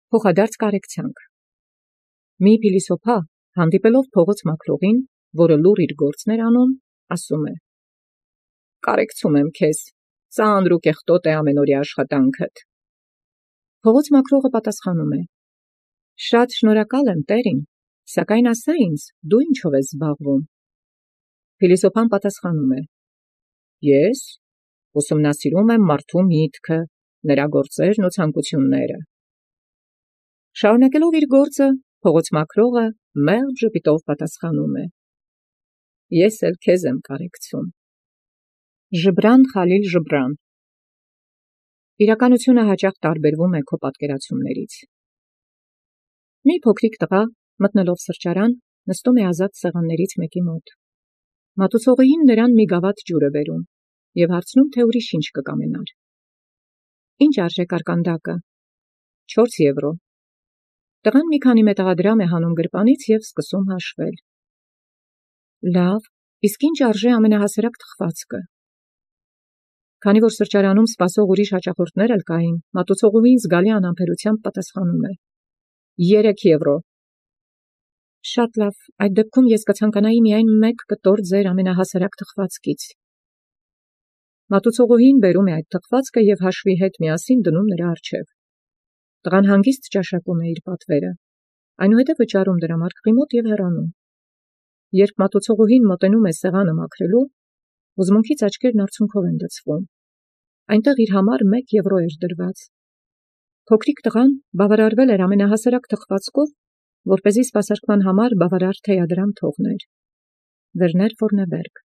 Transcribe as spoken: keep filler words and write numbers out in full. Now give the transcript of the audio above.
Փոխադարձ կարեկցանք։ Մի փիլիսոփա հանդիպելով փողոց մաքրողին, որը լուռ իր գործն էր անում, ասում է. «Կարեկցում եմ քեզ, ծանր ու կեղտոտ է ամենօրյա աշխատանքդ»։ Փողոց մաքրողը պատասխանում է. «Շատ շնորհակալ եմ, տերին, սակայն ասա ինձ, դու ինչով ես զբաղվում»։ Փիլիսոփան պատասխանում է. «Ես ուսումնասիրում եմ մարդու միտքը, նրա գործերն ու ցանկությունները»։ Շարունակելով իր գործը, փողոց մաքրողը մեղմ ժպիտով պատասխանում է. «Ես էլ քեզ եմ կարեկցում»։ Ժբրան Խալիլ Ժբրան։ Իրականությունը հաճախ տարբերվում է քո պատկերացումներից։ Մի փոքրիկ տղա, մտնելով սրճարան, նստում է ազատ սեղաններից մեկի մոտ։ Մատուցողուհին նրան մի գավաթ ջուր է բերում և հարցնում, թե ուրիշ ինչ կկամենար։ Ինչ արժե կարկանդակը։ Չորս եվրո։ Տղան մի քանի մետաղադրամ է հանում գրպանից և սկսում հաշվել։ Լավ, իսկ ինչ արժե ամենահասարակ թխվածքը։ Քանի որ սրճարանում սպասող ուրիշ հաճախորդներ էլ կային, մատուցողուհին զգալի անհամբերությամբ պատասխանում է. Երեք եվրո։ Շատ լավ, այդ դեպքում ես կցանկանայի միայն մեկ կտոր ձեր ամենահասարակ թխվածքից։ Մատուցողուհին բերում է այդ թխվածքը և հաշվի հետ միասին դնում նրա առջև։ Տղան հանգիստ ճաշակում է իր պատվերը, այնուհետև վճարում դրամարկղի մոտ և հեռանում։ Երբ մատուցողուհին մոտենում է սեղանը մաքրելու, հուզմունքից աչքերն արցունքով են լցվում։ Այնտեղ իր համար մեկ եվրո էր դրված։ Փոքրիկ տղան բավարարվել էր ամենահասարակ թխվածքով, որպեսզի սպասարկման համար բավարար թեյադրամ թողներ։ Վերներ Ֆորնեբերգ։